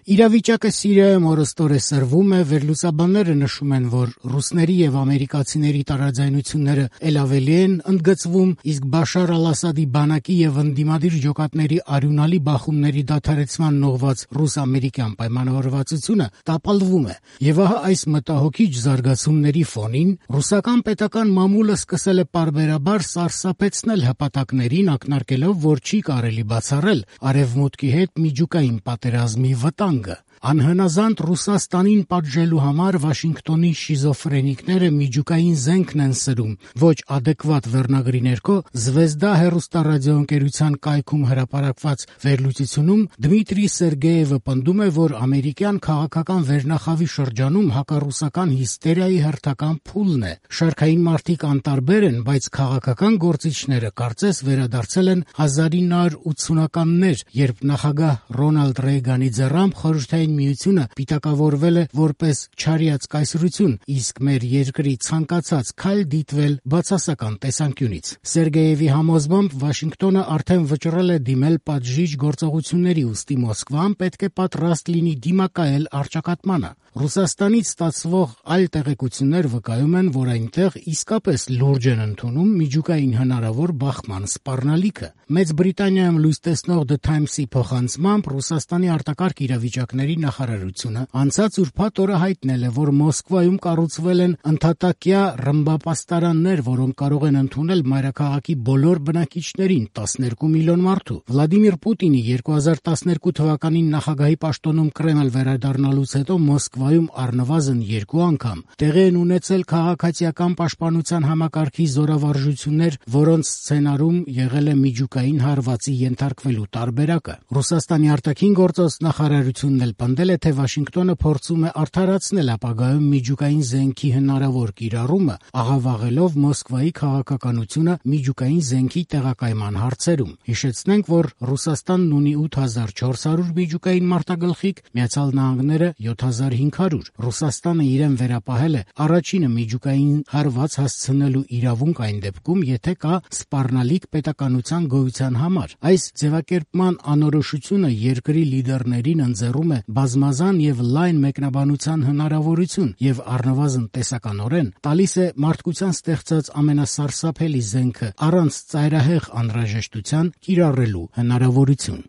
Իրավիճակը Սիրիայում օրըստօրե սրվում է, վերլուծաբանները նշում են, որ ռուսների եւ ամերիկացիների տարաձայնությունները ել ավելի են ընդգծվում, իսկ Բաշար al-Ասադի բանակի եւ ընդդիմադիր ջոկատների արյունալի բախումների դադարեցման նողված ռուս-ամերիկյան պայմանավորվածությունը տապալվում է։ Եվ ահա այս մտահոգիչ զարգացումների ֆոնին ռուսական պետական մամուլը սկսել է պարբերաբար սարսափեցնել հպատակներին, ակնարկելով, որ չի կարելի բացառել արևմուտքի հետ միջուկային պատերազմի վտանգը։ Անհնազանդ Ռուսաստանին պատժելու համար Վաշինգտոնի շիզոֆրենիկները միջուկային զենքն են սրում։ Ոչ adekvat վերնագրի ներքո Զվեզդա հեռուստառադիոընկերության կայքում հրապարակված վերլուծությունում Դմիտրի Սերգեևը պնդում է, որ ամերիկյան քաղաքական վերնախավի շրջանում հակառուսական հիստերիայի հերթական փուլն է։ Շարքային մարդիկ անտարբեր են, բայց քաղաքական գործիչները կարծես վերադարձել են 1980-ականներ, երբ նախագահ Ռոնալդ Ռեյգանի ձեռամբ Խորհրդային Միությունը պիտակավորվել է որպես չարիած կայսրություն, իսկ մեր երկրի ցանկացած քայլ դիտվել բացասական տեսանկյունից։ Սերգեևի համոզմամբ Վաշինգտոնը արդեն վճռել է դիմել պատժիչ գործողությունների, ուստի Մոսկվան պետք է պատրաստ լինի դիմակայել առճակատմանը։ Ռուսաստանից ստացվող այլ տեղեկություններ վկայում են, որ այնտեղ իսկապես լուրջ են ընդունում միջուկային հնարավոր բախման սպառնալիքը։ Մեծ Բրիտանիայում լույս տեսնող The Times-ի փոխանցմամբ Ռուսաստանի արտակարգ իրավիճակների նախարարությունը անցած ուրբաթ օրը հայտնել է, որ Մոսկվայում կառուցվել են ընդհատակյա ռմբապաստարաններ, որոնք կարող են ընդունել մայրաքաղաքի բոլոր բնակիչներին, 12 միլիոն մարդու։ Վլադիմիր Պուտինի 2012 թվականին նախագահի պաշտոնում Կրեմլ վերադառնալուց հետո Մոսկվայում առնվազն 2 անգամ տեղի են ունեցել քաղաքացիական պաշտպանության համակարգի զորավարժություններ, որոնց սցենարում եղել է միջուկային հարվածի ենթարկվելու տարբերակը։ Ռուսաստանի արտաքին գործոս նախարարությունն էլ պնդել է, թե Վաշինգտոնը փորձում է արդարացնել ապագայում միջուկային զենքի հնարավոր կիրառումը, աղավաղելով Մոսկվայի քաղաքականությունը միջուկային զենքի տեղակայման հարցերում։ Հիշեցնենք, որ Ռուսաստանն ունի 8400 միջուկային մարտագլխիկ, Միացյալ Նահանգները 7500։ Ռուսաստանը իրեն վերապահել է առաջինը միջուկային հարված հասցնելու իրավունք այն դեպքում, եթե կա սպառնալիք պետականության գոյության համար։ Այս ձևակերպման անորոշությունը երկրի լիդերներին ընձեռում է բազմազան եւ լայն մեկնաբանության հնարավորություն եւ առնվազն տեսականորեն տալիս է մարդկության ստեղծած ամենասարսափելի զենքը առանց ծայրահեղ անհրաժեշտության կիրառելու հնարավորություն։